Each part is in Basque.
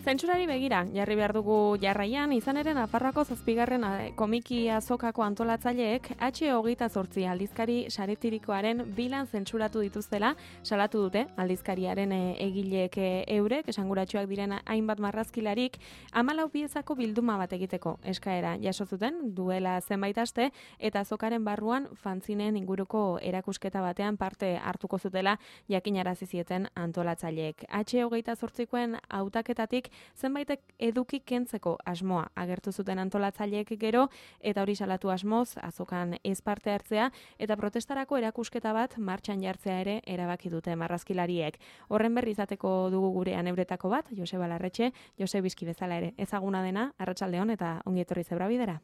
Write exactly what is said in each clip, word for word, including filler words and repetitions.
Zentsurari begira, jarri behar dugu jarraian, izan ere Nafarroako zazpigarren komiki azokako antolatzaileek H hogeita zortzi aldizkari saretirikoaren bilan zentzuratu dituztela salatu dute aldizkariaren egileek eurek, esanguratsuak diren hainbat marrazkilarik, hamalau piezako bilduma bat egiteko eskaera jaso zuten duela zenbait aste eta azokaren barruan fanzinen inguruko erakusketa batean parte hartuko zutela jakinarazi zieten antolatzaileek. H hogeita zortzikoen hautaketatik zenbaitek eduki kentzeko asmoa agertu zuten antolatzaileek gero eta hori salatu asmoz azokan ez parte hartzea eta protestarako erakusketa bat martxan jartzea ere erabaki dute marrazkilariek. Horren berri izateko dugu gurean euretako bat, Joseba Larretxe, Jose Bizki bezala ere ezaguna dena, arratsaldeon eta ongi etorri Zebrabidera.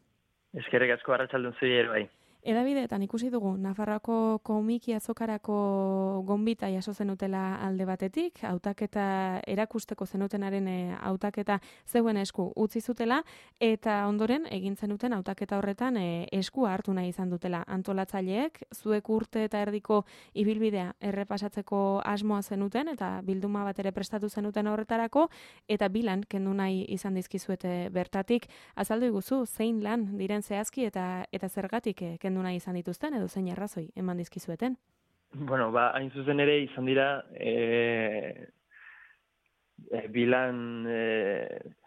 Eskerrik asko arratsaldeon zuri ere bai. Edabideetan ikusi dugu, Nafarroako komiki azokarako gonbita jaso zenutela alde batetik, hautaketa erakusteko zenutenaren hautaketa zeuen esku utzi zutela, eta ondoren egin zenuten hautaketa horretan e, esku hartu nahi izan dutela antolatzaileek, zuek urte eta erdiko ibilbidea errepasatzeko asmoa zenuten, eta bilduma bat ere prestatu zenuten horretarako, eta bilan kendu nahi izan dizkizuete bertatik, azaldu iguzu, zein lan diren zehazki eta, eta zergatik e, kendu nahi izan dituzten, edo zein arrazoi eman dizkizueten? Bueno, ba, hain zuzen ere izan dira e, e, bilan e,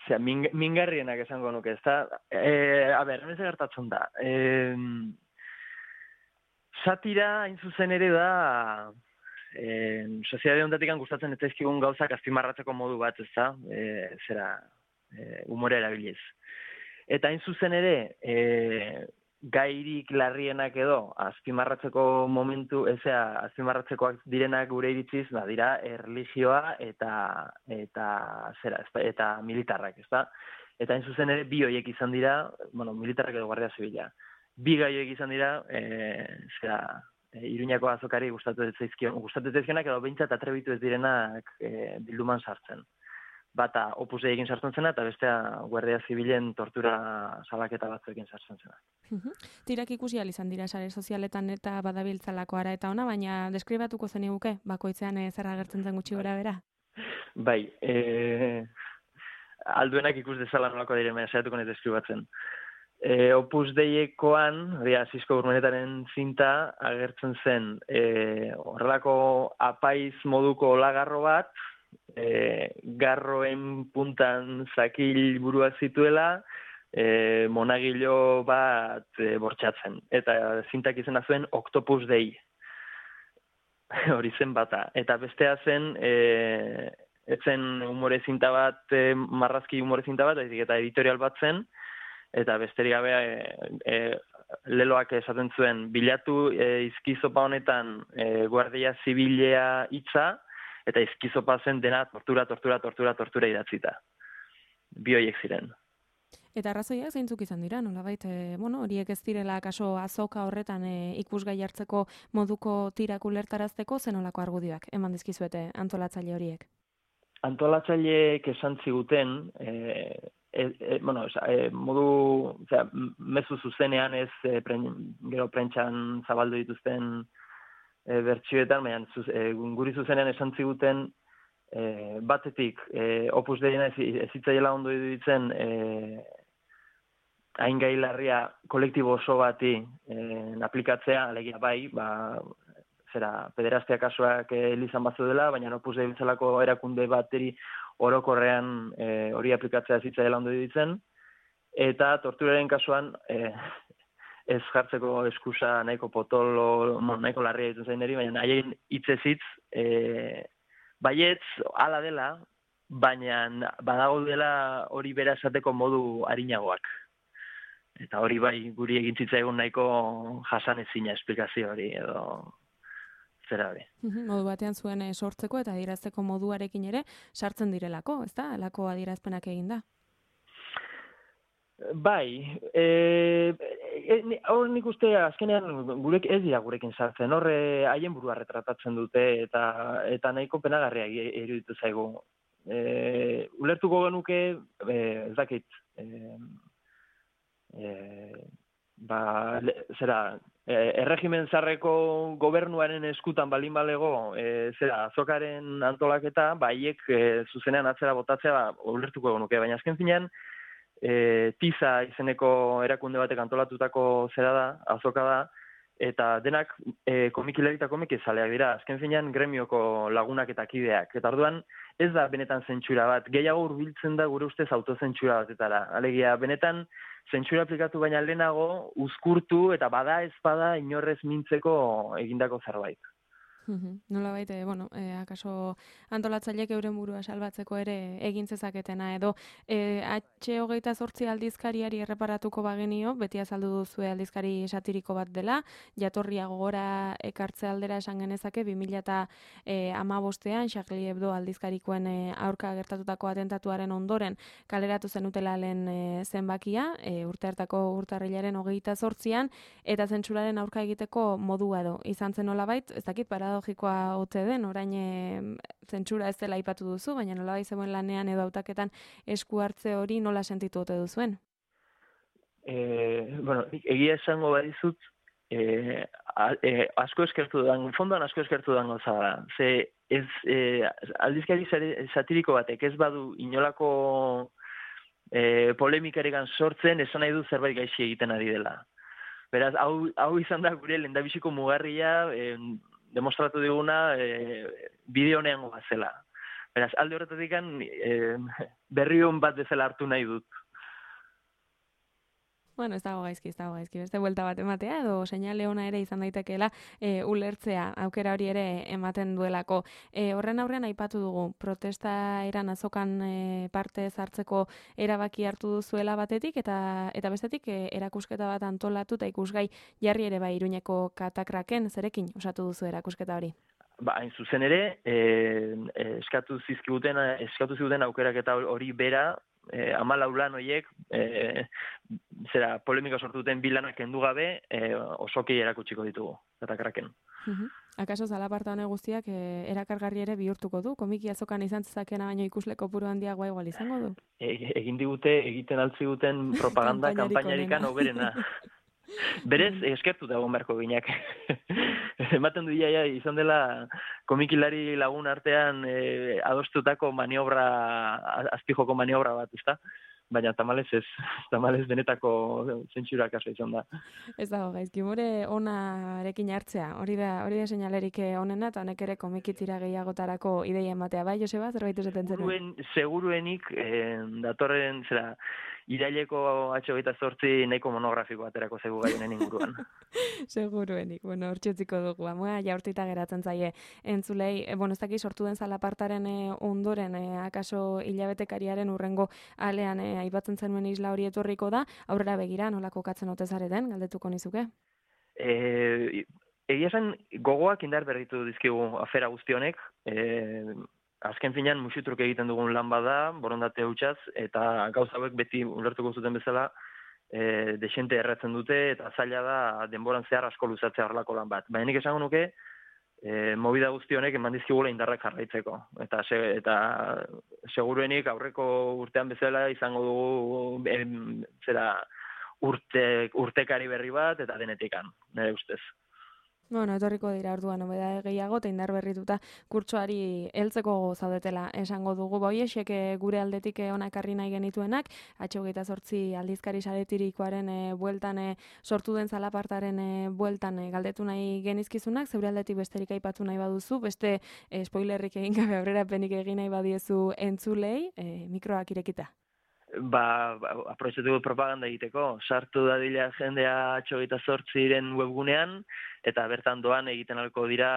zera, ming, mingarrienak esango nuke, ezta? E, a ber, hemen gertatzen da. E, satira hain zuzen ere da e, soziedade honetatik gustatzen ez zaizkigun gauzak azpimarratzeko modu bat, ezta? E, zera, e, humore erabiliz. Eta hain zuzen ere, e, gairik larrienak edo azpimarratzeko momentu, ezea azpimarratzekoak direnak gure iritziz, ba, dira erlijioa eta eta zera, eta militarrak, ezta? Eta hain zuzen ere bi horiek izan dira, bueno, militarrak edo guardia zibila. Bi gai horiek izan dira, e, zera, e, Iruñako azokari gustatu ez zaizkion, gustatu ez zaizkionak edo behintzat atrebitu ez direnak e, bilduman sartzen. Bata Opus Dei egin sartzen zena, eta bestea Guardia Zibilen tortura salaketa batzuekin sartzen zena. Tirak ikusi ahal izan dira sare sozialetan eta badabiltzalako ara eta ona, baina deskribatuko zeniguke, bakoitzean zer agertzen zen gutxi gora bera? Bai, e, alduenak ikus dezala nolako diren, baina saiatuko nahi deskribatzen. E, Opus Deiekoan, hori Asisko Urmenetaren zinta, agertzen zen e, horrelako apaiz moduko lagarro bat, E, garroen puntan zakil buruak zituela, e, monagilo bat e, bortxatzen. Eta zintak izena zuen Octopus Dei. Hori zen bata. Eta bestea zen, e, etzen humore zinta bat, e, marrazki humore zinta bat, eta editorial bat zen, eta besterik gabe e, e, leloak esaten zuen, bilatu e, izkizopa honetan e, Guardia Zibilea hitza, eta izkizopa zen dena tortura, tortura, tortura, tortura idatzita. Bi horiek ziren. Eta arrazoiak zeintzuk izan dira, nolabait, e, bueno, horiek ez direla kaso azoka horretan e, ikusgai hartzeko moduko tirak ulertarazteko zenolako argudioak eman dizkizuete antolatzaile horiek? Antolatzaileek esan ziguten, e, e, e, bueno, e, modu, osea, mezu zuzenean ez e, pren, gero prentxan zabaldu dituzten E, bertsioetan, baina e, guri zuzenean esan ziguten e, batetik e, Opus Deiena ez, ez zitzaiela ondo iruditzen e, hain gai larria kolektibo oso bati e, aplikatzea, alegia bai, ba, zera, pederastia kasuak e, elizan batzu dela, baina Opus Dei bezalako erakunde bateri orokorrean e, hori aplikatzea ez zitzaiela ondo iruditzen, eta torturaren kasuan e, ez jartzeko eskusa nahiko potolo, nahiko larria ditu zain deri, baina haien hitzez hitz, e, baietz, hala dela, baina badago dela hori bera esateko modu arinagoak. Eta hori bai guri egin zitzaigun nahiko jasanezina esplikazio hori, edo zera hori. Modu batean zuen sortzeko eta adierazteko moduarekin ere sartzen direlako, ezta? Halako adierazpenak egin da. Bai, hor e, nik uste azkenean gurek ez dira gurekin sartzen, horre haien burua retratatzen dute eta eta nahiko penagarria iruditu zaigu. E, ulertuko genuke, e, ez dakit, e, e, ba, le, zera, erregimen zarreko gobernuaren eskutan balin balego, e, zera, azokaren antolaketa, baiek e, zuzenean atzera botatzea ba, ulertuko nuke, baina azken finean, e, tiza izeneko erakunde batek antolatutako zera da, azoka da, eta denak e, komikilari eta komikizaleak dira, azken finean gremioko lagunak eta kideak. Eta orduan, ez da benetan zentsura bat, gehiago hurbiltzen da gure ustez autozentsura batetara. Alegia, benetan zentsura aplikatu baina lehenago, uzkurtu eta bada ez bada inorrez mintzeko egindako zerbait. Nola baite, bueno, e, akaso antolatzaileek euren burua salbatzeko ere egin zezaketena, edo e, H hogeita zortzi aldizkariari erreparatuko bagenio, beti azaldu duzue aldizkari satiriko bat dela, jatorria gogora ekartze aldera esan genezake, bi mila hamabostean Charlie Hebdo aldizkarikoen e, aurka gertatutako atentatuaren ondoren kaleratu zenutela lehen e, zenbakia, e, urte hartako urtarrilaren hogeita zortzian, eta zentsuraren aurka egiteko modua edo izan zen nolabait, ez dakit paradogikoa ote den, orain e, zentsura ez dela aipatu duzu, baina nolabait zegoen lanean edo hautaketan esku hartze hori nola sentitu ote duzuen? E, bueno, egia esango badizut, e, a, e, asko eskertu dan, fondoan asko eskertu dan gauza da. Ze ez, e, aldizkari satiriko batek ez badu inolako e, polemikaregan sortzen, esan nahi du zerbait gaixi egiten ari dela. Beraz, hau, hau izan da gure lehendabiziko mugarria, e, demostratu diguna e, bideo honean zela. Beraz, alde horretatik e, berri hon bat bezala hartu nahi dut. Bueno, ez dago gaizki, ez dago gaizki. Beste buelta bat ematea, edo seinale ona ere izan daitekeela e, ulertzea, aukera hori ere ematen duelako. E, horren aurrean aipatu dugu, protesta eran azokan e, parte zartzeko erabaki hartu duzuela batetik, eta eta bestetik e, erakusketa bat antolatu eta ikusgai jarri ere bai Iruñeko katakraken, zerekin osatu duzu erakusketa hori? Ba, hain zuzen ere, e, eskatu zizkiguten, eskatu ziguten aukeraketa hori bera, E, amalau lan horiek, e, zera, polemika sortu duten bilanak kendu gabe, e, osoki erakutsiko ditugu, katakraken. Uh-huh. Akaso zalaparta hone guztiak e, erakargarri ere bihurtuko du? Komiki azokan izan zezakena baino ikusle kopuru handiagoa igual izango du? E, egin digute, egiten altzi duten propaganda kanpainarikan oberena. Berez, eskertu da egon ginak. Ematen du iaia izan dela komikilari lagun artean e, adostutako maniobra, azpijoko maniobra bat, ezta? Baina tamalez ez, tamalez benetako zentsura kaso izan da. Ez dago gaizki, more onarekin hartzea, hori da, hori da seinalerik onena, eta honek ere komikitzira gehiagotarako ideia ematea, bai, Joseba, zerbait esaten zenuen? Seguruenik, eh, datorren, zera, iraileko H hogeita zortzi nahiko monografiko aterako zegu gaionen inguruan. Seguruenik, bueno, hortxutziko dugu, amoa jaurtita geratzen zaie entzulei, e, bueno, ez daki sortu den zalapartaren e, ondoren, e, akaso hilabetekariaren urrengo alean e, aipatzen zenuen isla hori etorriko da, aurrera begira, nola kokatzen ote zareten, galdetuko nizuke? E, egia esan, gogoak indar berritu dizkigu afera guztionek, e, azken finean musutruk egiten dugun lan bada, borondate hutsaz, eta gauza hauek beti ulertuko zuten bezala, e, desente erratzen dute, eta zaila da denboran zehar asko luzatzea horrelako lan bat. Baina nik esango nuke, e, movida guztionek eman dizkigula indarrak jarraitzeko. Eta, se, eta seguruenik aurreko urtean bezala izango dugu em, zera urte, urtekari berri bat, eta denetikan, nire ustez. Bueno, etorriko dira orduan nobeda gehiago eta indar berrituta kurtsoari heltzeko zaudetela esango dugu. Boiexek gure aldetik ona ekarri nahi genituenak, H hogeita zortzi aldizkari saretirikoaren e, bueltan e, sortu den zalapartaren e, bueltan e, galdetu nahi genizkizunak, zeure aldetik besterik aipatu nahi baduzu, beste e, spoilerrik egin gabe aurrerapenik egin nahi badiezu entzulei, e, mikroak irekita. Ba, ba aprobetxatu propaganda egiteko, sartu dadila jendea H hogeita zortziren webgunean, eta bertan doan egiten alko dira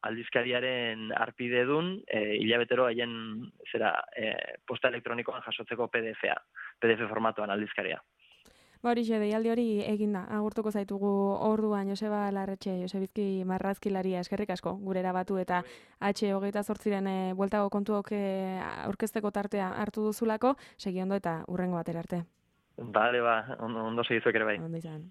aldizkariaren arpidedun, e, hilabetero haien zera, e, posta elektronikoan jasotzeko P D F-a, P D F formatuan aldizkaria. Ba hori xe, deialdi hori eginda, agurtuko zaitugu orduan Joseba Larretxe, Josebizki marrazkilaria eskerrik asko, gure erabatu eta H hogeita zortziren e, bueltago kontuok e, aurkezteko tartea hartu duzulako, segi ondo eta urrengo batera arte. Bale, ba, ondo, ondo segizuek ere bai. Ondo izan.